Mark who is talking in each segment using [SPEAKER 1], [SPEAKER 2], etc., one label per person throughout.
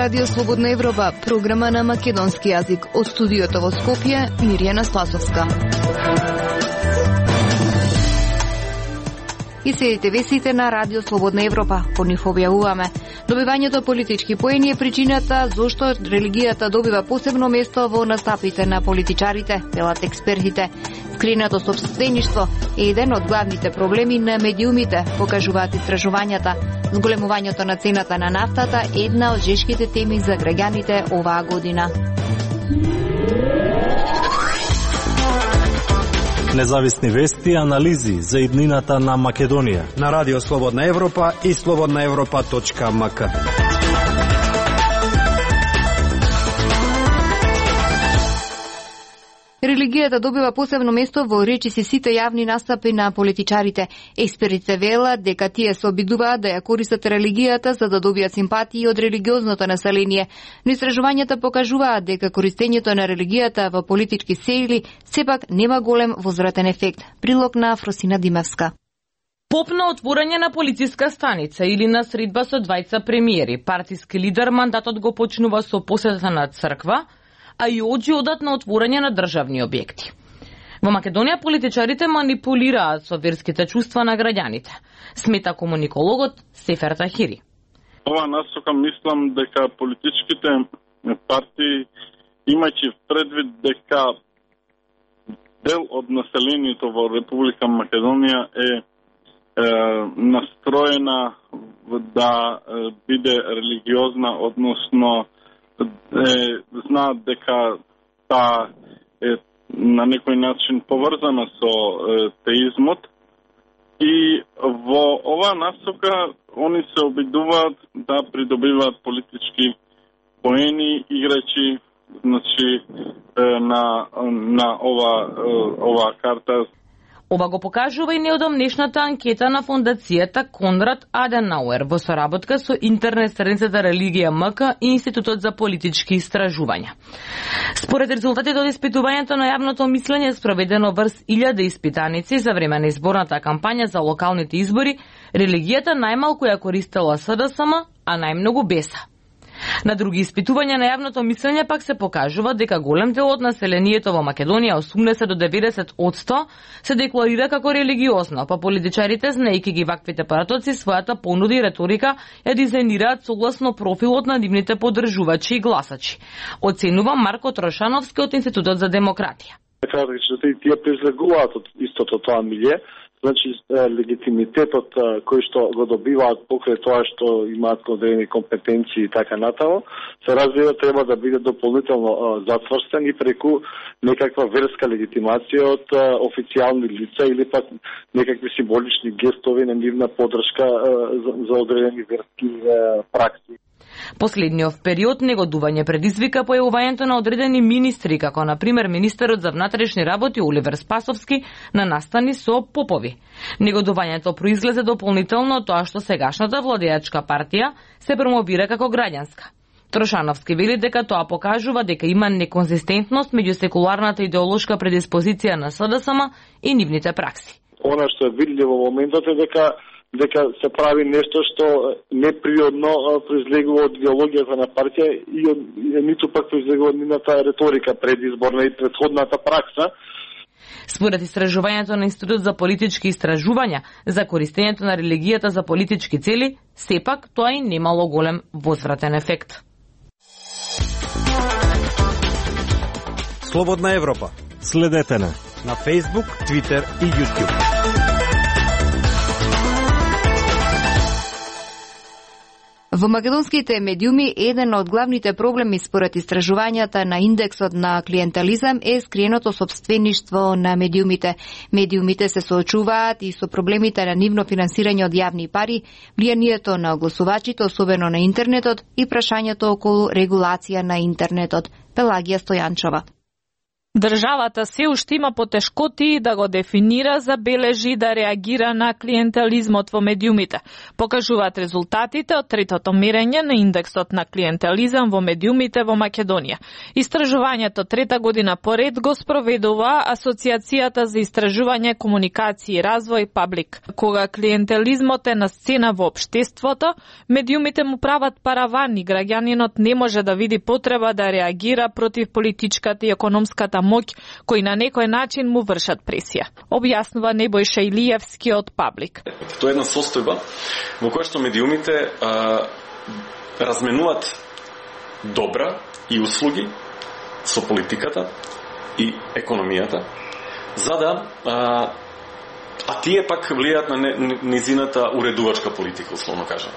[SPEAKER 1] Радио Слободна Европа, програма на македонски јазик. Од студиото во Скопје, Мирјана Спасовска. И следите вестите на Радио Слободна Европа. По нив објавуваме: добивањето политички поени е причината зошто религијата добива посебно место во настапите на политичарите, велат експертите. Скринато сопствеништво е еден од главните проблеми на медиумите, покажуваат истражувањата. Зголемувањето на цената на нафтата е една од жешките теми за граѓаните оваа година.
[SPEAKER 2] Независни вести и анализи за иднината на Македонија
[SPEAKER 3] на Радио Слободна Европа и slobodnaevropa.mk.
[SPEAKER 1] Религијата добива посебно место во речиси сите јавни настапи на политичарите. Експертите велат дека тие се обидуваат да ја користат религијата за да добијат симпатии од религиозното население. Но истражувањата покажуваат дека користењето на религијата во политички цели сепак нема голем возвратен ефект. Прилог на Фросина Димевска.
[SPEAKER 4] Поп на отворање на полициска станица или на средба со двајца премиери, партиски лидер, мандатот го почнува со посета на црква, а и оџи одат на отворање на државни објекти. Во Македонија политичарите манипулираат со верските чувства на граѓаните, смета комуникологот Сефер Тахири.
[SPEAKER 5] Ова насока мислам дека политичките партии, имајќи предвид дека дел од населението во Република Македонија е настроена да биде религиозна, односно знаат дека таа е на некој начин поврзана со теизмот и во оваа насока они се обидуваат да придобиваат политички поени играјќи на оваа карта.
[SPEAKER 4] Ова го покажува и неодамнешната анкета на фондацијата Конрад Аденауер во соработка со интернет страницата Религија МК и Институтот за политички истражувања. Според резултатите од испитувањето на јавното мислење спроведено врз 1000 испитаници за време на изборната кампања за локалните избори, религијата најмалку ја користела СДСМ, а најмногу БЕСА. На други испитувања на јавното мислење пак се покажува дека голем дел од населението во Македонија, 80 до 90%, се декларира како религиозно, па политичарите, знаејќи ги ваквите парадокси, својата понуда и реторика ја дизајнираат согласно профилот на нивните поддржувачи и гласачи, оценува Марко Трошановски од Институтот за демократија.
[SPEAKER 6] Тие презлегуваат од истото тоа милје. Значи, легитимитетот кој што го добиваат покрај тоа што имаат одредени компетенции и така натаму, се разбира треба да биде дополнително затврстен и преку некаква верска легитимација од официјални лица или пак некакви символични гестови на нивна поддршка за одредени верски пракси.
[SPEAKER 4] Последниот период негодување предизвика појавувањето на одредени министри, како на пример министерот за внатрешни работи Оливер Спасовски на настани со попови. Негодувањето произлезе дополнително тоа што сегашната владеачка партија се промовира како граѓанска. Трошановски вели дека тоа покажува дека има неконзистентност меѓу секуларната идеолошка предиспозиција на СДСМ и нивните пракси.
[SPEAKER 6] Она што е видливо во моментот е дека се прави нешто што неприодно произлегува од идеологијата на партија и ниту пак произлегува од нивната реторика предизборна и претходната пракса.
[SPEAKER 4] Според истражувањето на Институт за политички истражувања за користењето на религијата за политички цели, сепак тоа и немало голем возвратен ефект.
[SPEAKER 3] Слободна Европа.
[SPEAKER 2] Следете на
[SPEAKER 3] Facebook, Twitter и YouTube.
[SPEAKER 1] Во македонските медиуми еден од главните проблеми според истражувањата на индексот на клиентелизам е скриеното сопствеништво на медиумите. Медиумите се соочуваат и со проблемите на нивно финансирање од јавни пари, влијанието на огласувачите, особено на интернетот, и прашањето околу регулација на интернетот. Пелагија Стојанчова.
[SPEAKER 7] Државата се уште има потешкоти да го дефинира, забележи да реагира на клиентелизмот во медиумите. Покажуваат резултатите од третото мерење на индексот на клиентелизам во медиумите во Македонија. Истражувањето трета година поред го спроведува Асоциацијата за истражување, комуникација и развој Паблик. Кога клиентелизмот е на сцена во општеството, медиумите му прават параван и граѓанинот не може да види потреба да реагира против политичката и економската моќ кои на некој начин му вршат пресија. Објаснува Небојша Илиевски од Паблик.
[SPEAKER 8] Тоа е една состојба во која што медиумите разменуваат добра и услуги со политиката и економијата, за да тие пак влијаат на низината уредувачка политика, условно кажам.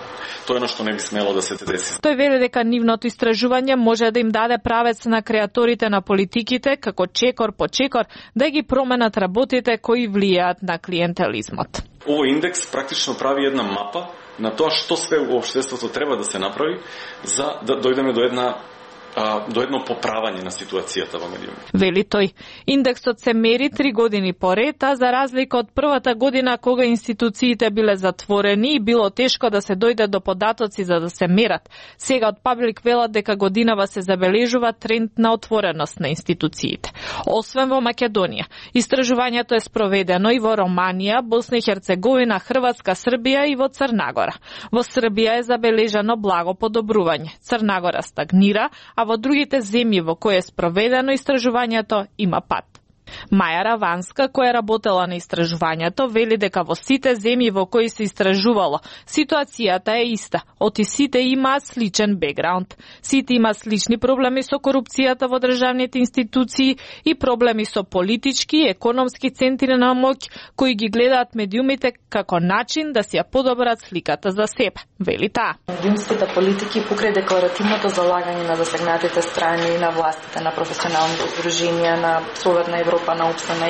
[SPEAKER 8] Тоа е што не би смело да се деси.
[SPEAKER 7] Тој вели дека нивното истражување може да им даде правец на креаторите на политиките, како чекор по чекор, да ги променат работите кои влијаат на клиентелизмот.
[SPEAKER 8] Овој индекс практично прави една мапа на тоа што све во општеството треба да се направи за да дојдеме до едно поправање на ситуацијата во медиумите.
[SPEAKER 7] Вели тој, индексот се мери 3 години поред, а за разлика од првата година кога институциите биле затворени и било тешко да се дојде до податоци за да се мерат. Сега од Паблик велат дека годинава се забележува тренд на отвореност на институциите. Освен во Македонија, истражувањето е спроведено и во Романија, Босна и Херцеговина, Хрватска, Србија и во Црнагора. Во Србија е забележано благо подобрување. Црнагора стагнира, а во другите земји во кои е спроведено истражувањето има пат. Маја Раванска, која работела на истражувањето, вели дека во сите земји во кои се истражувало, ситуацијата е иста. Оти сите имаат сличен бекграунд. Сите имаат слични проблеми со корупцијата во државните институции и проблеми со политички и економски центри на моќ, кои ги гледаат медиумите како начин да си ја подобрат сликата за себе, вели таа.
[SPEAKER 9] Медиумските политики покрај декларативното залагање на засегнатите страни, на властите, на професионалните здруженија, на Советна Европа, на ОПСН,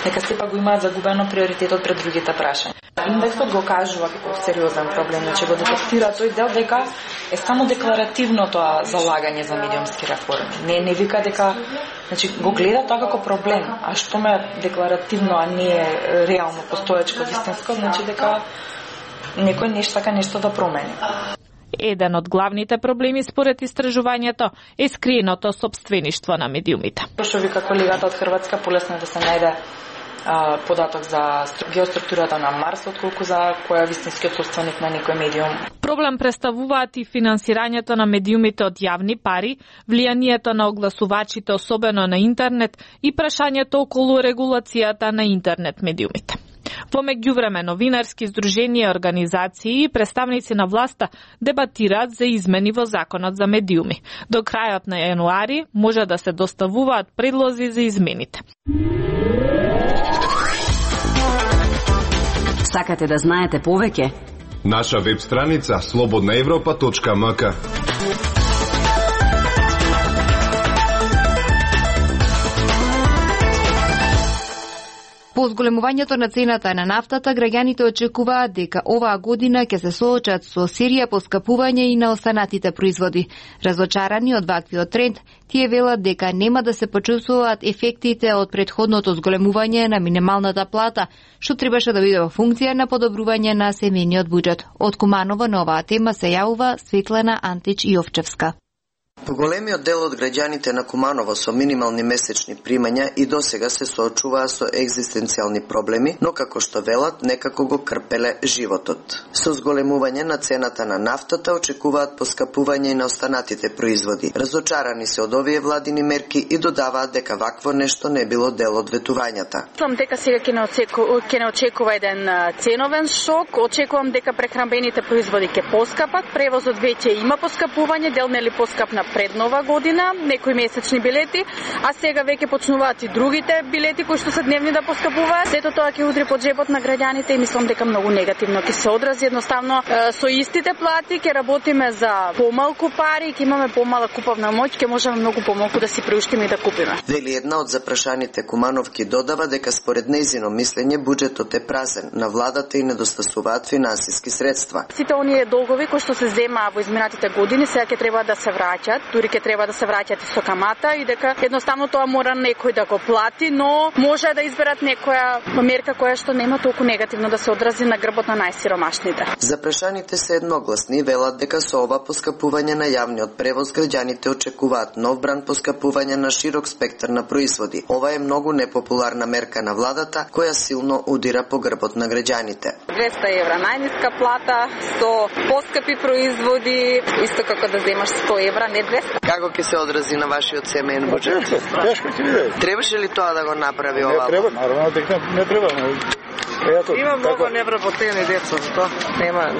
[SPEAKER 9] нека сепак го имаат загубено приоритетот пред другите прашања. Индексот го кажува како сериозен проблем, че го детектира тој дел дека е само декларативно тоа залагање за медиумски реформи. Не вика дека, го гледа тоа како проблем, а што ме декларативно, а не е реално постоечко, вистинско, дека некој нешто да промени.
[SPEAKER 7] Еден од главните проблеми според истражувањето е скриеното сопствеништво на медиумите.
[SPEAKER 9] Што вика колегата од Хрватска, полесно да се најде податок за геоструктурата на Марс, отколку за која вистинскиот собственик на некој медиум.
[SPEAKER 7] Проблем представуваат и финансирањето на медиумите од јавни пари, влијанието на огласувачите, особено на интернет, и прашањето околу регулацијата на интернет медиумите. Во меѓувреме новинарски здруженија и организации и представници на власта дебатираат за измени во законот за медиуми. До крајот на јануари може да се доставуваат предлози за измените.
[SPEAKER 10] Сакате да знаете повеќе?
[SPEAKER 11] Наша веб страница slobodnaevropa.mk.
[SPEAKER 1] По зголемувањето на цената на нафтата, граѓаните очекуваат дека оваа година ќе се соочат со серија поскапување и на останатите производи. Разочарани од ваквиот тренд, тие велат дека нема да се почувствуваат ефектите од претходното зголемување на минималната плата, што требаше да биде во функција на подобрување на семејниот буџет. Од Куманово на оваа тема се јавува Светлана Антич Јовчевска.
[SPEAKER 12] Големиот дел од граѓаните на Куманово со минимални месечни примања и досега се соочуваа со екзистенцијални проблеми, но како што велат, некако го крпеле животот. Со зголемување на цената на нафтата очекуваат поскапување и на останатите производи. Разочарани се од овие владини мерки и додаваат дека вакво нешто не било дел од ветувањата.
[SPEAKER 13] Мислам дека сега ќе не очекува еден ценовен шок, очекувам дека прехранбените производи ќе поскапат, превозот веќе има поскапување, дел нели поскапна пред нова година, некои месечни билети, а сега веќе почнуваат и другите билети кои што се дневни да поскапуваат. Сето тоа ќе удри по джебот на граѓаните и мислам дека многу негативно ќе се одрази. Едноставно со истите плати ќе работиме за помалку пари, ќе имаме помала куповна моќ, ќе можеме многу помалку да си приуштиме и да купиме.
[SPEAKER 12] Вели една од запрашаните Кумановки додава дека според нејзино мислење буџетот е празен, на владата и недостасуваат финансиски средства.
[SPEAKER 13] Сите оние долгови кои што се земаа во изминатите години сега ќе треба да се враќаат дури ќе треба да се враќат со камата и дека едноставно тоа мора некој да го плати, но може да изберат некоја мерка која што нема толку негативно да се одрази на грбот на најсиромашните.
[SPEAKER 12] Запрашаните се едногласни, велат дека со ова поскапување на јавниот превоз граѓаните очекуваат нов бран поскапување на широк спектар на производи. Ова е многу непопуларна мерка на владата која силно удира по грбот на граѓаните.
[SPEAKER 14] 200 евра најниска плата, со поскапи производи, исто како да земаш 100 евра, не 200.
[SPEAKER 12] Како ќе се одрази на вашиот семеен буџет?
[SPEAKER 6] Тешко ќе биде.
[SPEAKER 12] Требаше ли тоа да го направи ова?
[SPEAKER 6] Не треба, наравно дека не треба.
[SPEAKER 15] Има многу невработени деца, затоа нема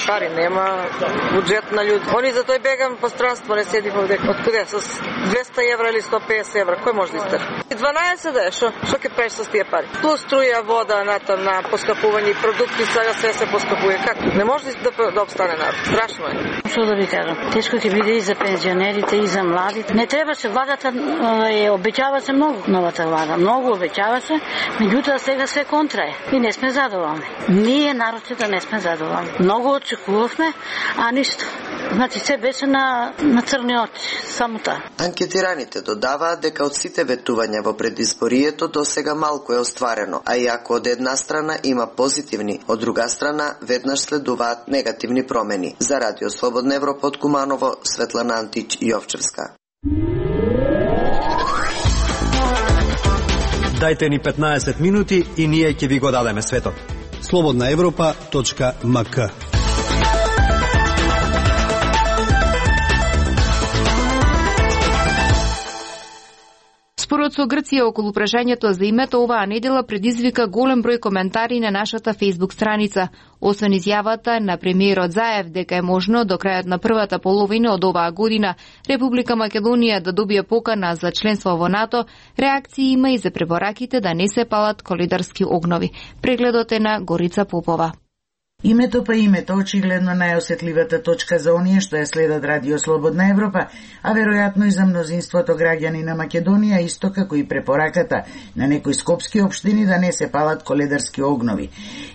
[SPEAKER 15] пари, нема буџет на луѓе. Они за тој бегам по странство, не седи овде. Од куде? С 200 евра или 150 евра, кој може да истер? 12 да е, што ќе правиш со тие пари? Плюс струја, вода, натам на поскапување, продукти, сега се поскапува. Како? Не може да обстане народ. Страшно е.
[SPEAKER 16] Што да ви кажам? Тешко ќе биде и за пензионерите, и за младите. Не требаше, владата обеќава се многу, новата влада. Многу обеќава се, меѓутоа сега се контра е. И не сме задоволни. Ние, народите, не сме задоволни. Многу очекувавме, а ништо. Значи, се беше на црни очи, само таа.
[SPEAKER 12] Анкетираните додаваат дека од сите ветувања во предизборието досега малку е остварено, а иако од една страна има позитивни, од друга страна веднаш следуваат негативни промени. За Радио Слободна Европа од Куманово, Светлана Антич Јовчевска.
[SPEAKER 3] Дајте ни 15 минути и ние ќе ви го дадеме светот.
[SPEAKER 17] slobodnaevropa.mk.
[SPEAKER 1] Спорот со Грција околу прашањето за името оваа недела предизвика голем број коментари на нашата Facebook страница. Освен изјавата на премиерот Заев дека е можно до крајот на првата половина од оваа година Република Македонија да добие покана за членство во НАТО, реакции има и за препораките да не се палат колидарски огнови. Прегледот е на Горица Попова.
[SPEAKER 18] Името па името очигледно најосетливата точка за оние што ја следат Радио Слободна Европа, а веројатно и за мнозинството граѓани на Македонија, исто како и препораката на некои скопски општини да не се палат коледарски огнови.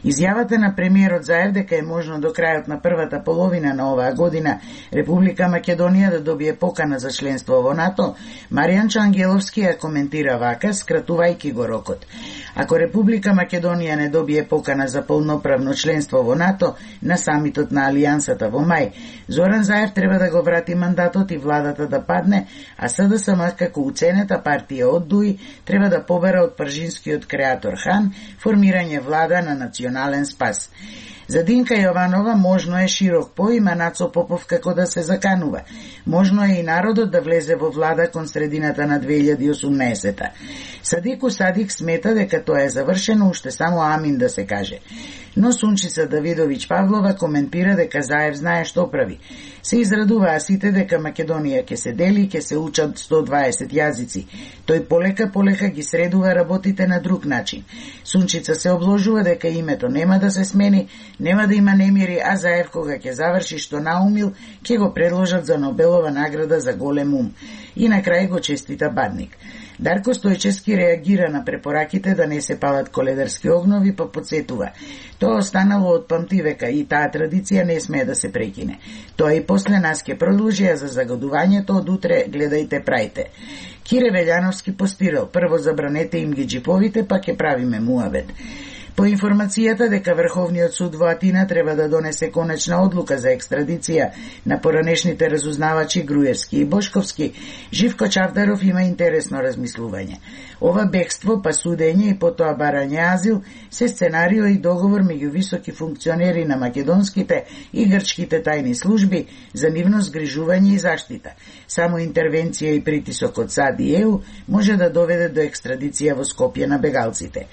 [SPEAKER 18] Изјавата на премиерот Заев дека е можно до крајот на првата половина на оваа година Република Македонија да добие покана за членство во НАТО, Маријан Чангеловски ја коментира вака, скратувајќи го рокот. Ако Република Македонија не добие покана за полноправно членство во НАТО на самитот на Алијансата во мај, Зоран Заев треба да го врати мандатот и владата да падне, а СДСМ како уценета партија од ДУИ треба да побера од пржинскиот креатор Хан формирање влада на национален спас. За Динка Јованова можно е широк поим, а Нацо Попов како да се заканува. Можно е и народот да влезе во влада кон средината на 2018-та. Садику Садик смета дека тоа е завршено, уште само амин да се каже. Но Сунчица Давидовиќ Павлова коментира дека Заев знае што прави. Се израдуваа сите дека Македонија ќе се дели и ќе се учат 120 јазици. Тој полека ги средува работите на друг начин. Сунчица се обложува дека името нема да се смени, нема да има немири, а Заев кога ќе заврши што наумил, ќе го предложат за Нобелова награда за голем ум. И на крај го честита Бадник. Дарко Стојчевски реагира на препораките да не се палат коледарски огнови, па подсетува. Тоа останало од памтивека и таа традиција не смее да се прекине. Тоа и после нас ќе продолжи, а за загадувањето од утре гледајте прајте. Кире Велјановски постирал, прво забранете им ги джиповите, па ќе правиме муабет. По информацијата дека Врховниот суд во Атина треба да донесе конечна одлука за екстрадиција на поранешните разузнавачи Груевски и Бошковски, Живко Чавдаров има интересно размислување. Ова бегство, па судење и потоа барање азил се сценарио и договор меѓу високи функционери на македонските и грчките тајни служби за нивно згрижување и заштита. Само интервенција и притисок од САД и ЕУ може да доведе до екстрадиција во Скопје на бегалците.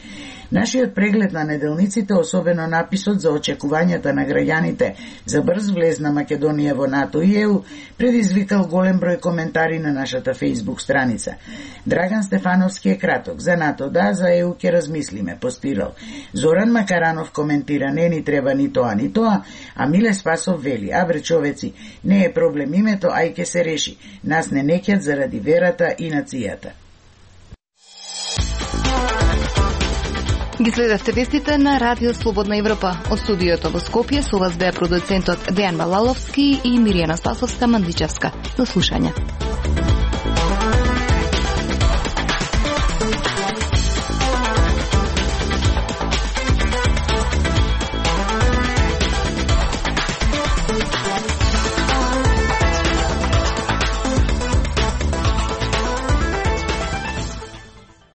[SPEAKER 18] Нашиот преглед на неделниците, особено написот за очекувањата на граѓаните за брз влез на Македонија во НАТО и ЕУ, предизвикал голем број коментари на нашата Facebook страница. Драган Стефановски е краток: за НАТО да, за ЕУ ќе размислиме, постирал. Зоран Макаранов коментира: не ни треба ни тоа, а Миле Спасов вели: абре човеци, не е проблем името, ај ќе се реши. Нас не неќат заради верата и нацијата.
[SPEAKER 1] Ги следевте вестите на Радио Слободна Европа. Од студиото во Скопје со вас беа продуцентот Дејан Балаловски и Миријана Спасовска-Мандичевска. До слушање.